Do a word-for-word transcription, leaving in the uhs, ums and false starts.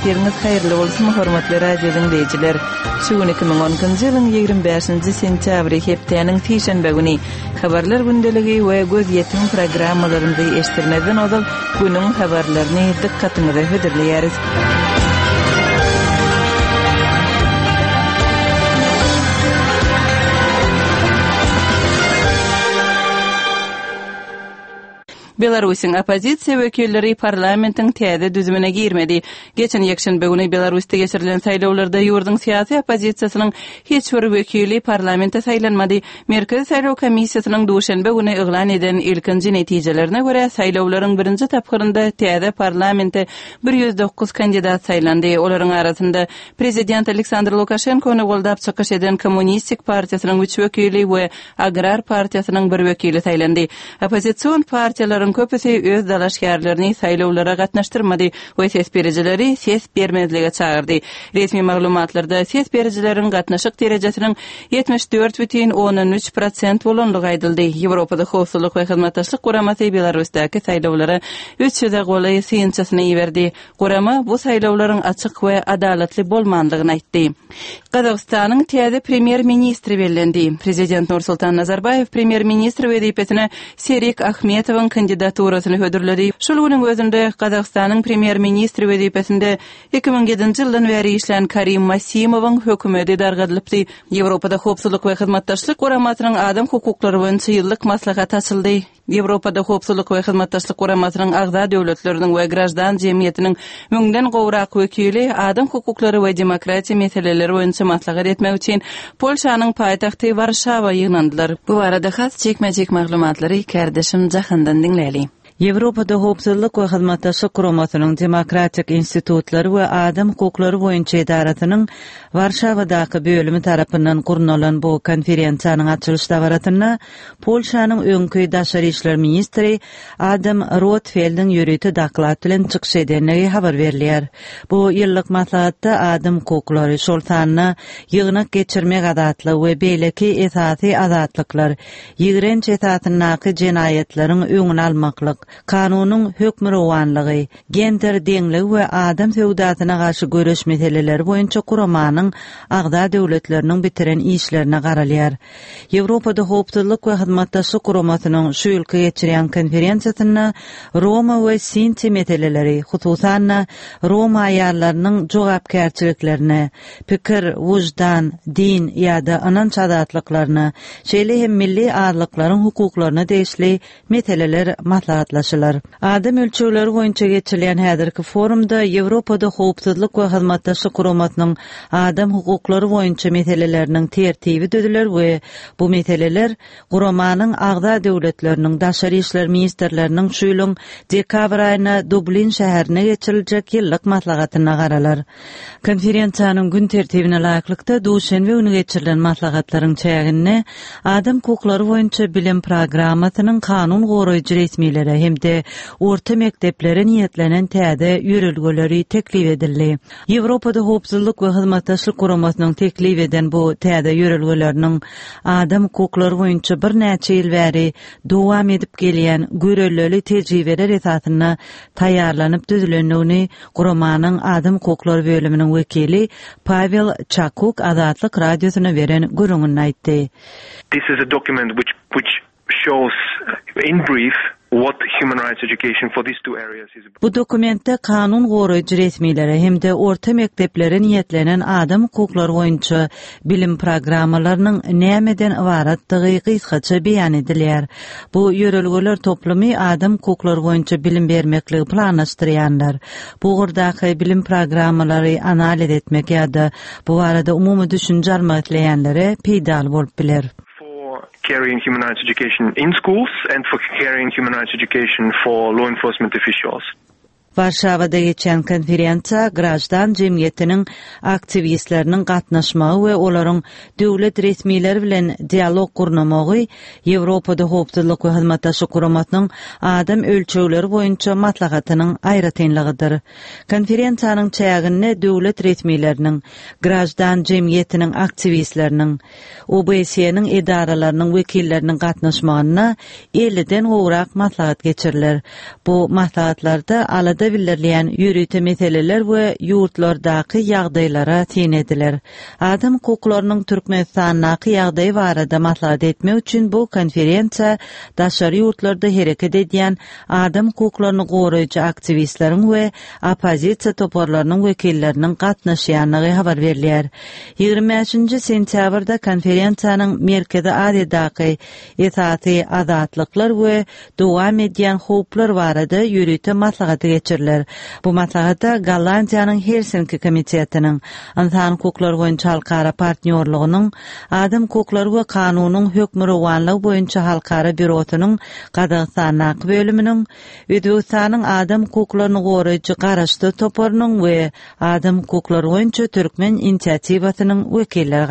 Ertiriňiz haýyrly bolsun, hormatly radio diňleýjiler. Şu gün iki müň on ikinji ýylyň ýigrimi bäşinji sentýabry hepdäniň sişenbe güni. Habarlar gündeligi we gözýetim programmalarymyzy eşitdirmezden ozal günüň habarlaryny dykgatyňyza hödürleýäris. Belarusyň oppozisiýa wekilleri parlamentiň täze düzümine girmedi. Geçen ýekşenbe güni Belarusda geçirilen saýlawlarda ýurduň syýasy oppozisiýasynyň hiç bir wekili parlamente saýlanmady. Merkezi saýlaw komissiýasynyň duşenbe güni yglan eden ilkinji netijelerine görä, saýlawlaryň birinji tapgyrynda täze parlamente bir ýüz dokuz kandidat saýlandy. Olaryň arasynda prezident Aleksandr Lukaşenkony goldap çykyş eden Kommunistik partiýasynyň üç wekili we Agrar partiýasynyň bir wekili saýlandy. Oppozision partiýalaryň köpüsi öz dalaşgärlerini saýlawlara gatnaşdyrmady we ses berijileri ses bermezlige çagyrdy. Resmi maglumatlarda ses berijileriň gatnaşyk derejesiniň ýetmiş dört bütin ondan üç prosent bolanlygy aýdyldy. Ýewropada Howpsuzlyk we Hyzmatdaşlyk Guramasy Belarusdaky saýlawlara üç ýüze golaý synçysyny iberdi. Gurama bu saýlawlaryň açyk we adalatly bolmanlygyny aýtdy. Gazagystanyň täze premýer-ministri bellendi. Prezident Nursultan Nazarbaýew premýer-ministr wezipesine Serik Ahmetowyň kandidaturasyny hödürledi. Şol günüň özünde Gazagystanyň premýer-ministri wezipesinde iki müň ýedinji ýyldan bäri işlän Karim Masimowyň hökümeti dargadylypdy. Ýewropada Howpsuzlyk we Hyzmatdaşlyk Guramasynyň adam hukuklary boýunça ýyllyk maslahaty açyldy. Ýewropada Howpsuzlyk we Hyzmatdaşlyk Guramasynyň agza döwletleriniň we graždan jemgyýetiniň müňden gowrak wekili adam hukuklary we demokratiýa meseleleri boýunça maslahat etmek üçin Polşanyň paýtagty Warşawa ýygnandylar. Bu barada has çekmejek maglumatlary kardeşim Jahandan diňläli. Ýewropada Howpsuzlyk we Hyzmatdaşlyk Guramasynyň Demokratik institutlary we adam hukuklary boýunça edarasynyň Warşawadaky bölümi tarapyndan gurnalan bu konferensiýanyň açylyş dabarasynda Polşanyň öňki daşary işler ministri Adam Rotfeldiň ýörite doklad bilen çykyş edenligi habar berilýär. Bu ýyllyk maslahatda adam hukuklary, şol sanda ýygnak geçirmek azatlygy we beýleki esasy azatlyklar, ýigrenç esasyndaky jenaýatlaryň öňüni almaklyk, kanunyň hökmürowanlygy, gender deňligi we adam söwdasyna garşy göreş meseleleri boýunça guramanyň agza döwletleriniň bitiren işlerine garalýar. Ýewropada Howpsuzlyk we Hyzmatdaşlyk Guramasynyň şu ýylky geçirýän konferensiýasynda Roma we Sinti meseleleri, hususan-da Roma aýallarynyň jogapkärçiliklerine, pikir, wujdan, din ýa-da ynanç azatlyklaryna, şeýle hem milli azlyklaryň hukuklaryna degişli meseleler maslahatlaşylar. Adam ölçegleri boýunça geçirilýän häzirki forumda Ýewropada Howpsuzlyk we Hyzmatdaşlyk Guramasynyň adam hukuklary boýunça meseleleriniň tertibi düzüler we bu meseleler guramanyň agza döwletleriniň daşary işler ministrleriniň şu ýylyň dekabr aýynda Dublin şäherine geçiriljek ýyllyk maslahatyna garalar. Konferensiýanyň gün tertibine laýyklykda duşenbe güni geçirilen maslahatlaryň çäginde adam hukuklary boýunça bilim programmasynyň kanun goraýjy resmilere hem-de orta mekdeplere niýetlenen täze ýörelgeleri teklip edildi. Ýewropada Howpsuzlyk we Hyzmatdaşlyk Guramasynyň teklip eden bu täze ýörelgeleriniň adam hukuklary boýunça birnäçe ýyl bäri dowam edip gelýän görelleli tejribeler esasynda taýýarlanyp düzülendigini guramanyň adam hukuklary bölüminiň wekili Pavel Çakuk Azatlyk radiosyna beren gürrüňini aýtdy. This is a document which, which shows in brief what human rights education for these two areas is about. Bu dokumentde kanun goraýjy resmilere hem-de orta mekdeplere niýetlenen adam hukuklary boýunça bilim programmalarynyň nämeden ybaratdygy gysgaça beýan edilýär. Bu ýörelgeler toplumy adam hukuklary boýunça bilim bermekligi planlaşdyrýanlar, bu ugurdaky bilim programmalary analiz etmek ýa-da bu barada umumy düşünje almak isleýänlere peýdaly bolup biler. For carrying human rights education in schools and for carrying human rights education for law enforcement officials. Warşawada geçen konferensiýa graždan jemgyýetiniň aktiwistleriniň gatnaşmagy we olaryň döwlet resmileri bilen dialog gurnamagy Ýewropada Howpsuzlyk we Hyzmatdaşlyk Guramasynyň adam ölçegleri boýunça maslahatynyň aýratynlygydyr. Konferensiýanyň çäginde döwlet resmileriniň, graždan jemgyýetiniň aktiwistleriniň, O B S-niň edaralarynyň wekilleriniň gatnaşmagynda elliden gowrak maslahat geçiriler. Bu maslahatlarda alada Maslahatda bildirilýän ýörite meseleler we ýurtlardaky ýagdaýlara syn ediler. Adam hukuklarynyň Türkmenistandaky ýagdaýy barada maslahat etmek üçin bu konferensiýa daşary ýurtlarda hereket edýän adam hukuklaryny goraýjy aktiwistleriň we oppozisiýa toparlarynyň wekilleriniň gatnaşýandygy habar berilýär. Ýigrimi bäşinji sentýabrda konferensiýanyň Merkezi Aziýadaky esasy azatlyklar we dowam edýän howplar barada ýörite maslahaty geçiriler. Bu maslahata Gollandiýanyň Helsinki komitetiniň, Ynsan hukuklary boýunça halkara partnýorlygynyň, Adam hukuklary we kanunyň hökmürowanlygy boýunça halkara býurosynyň Gazagystandaky bölüminiň, Özbegistanyň adam hukuklaryny goraýjy garaşsyz toparynyň we adam hukuklary boýunça türkmen inisiatiwasynyň wekilleri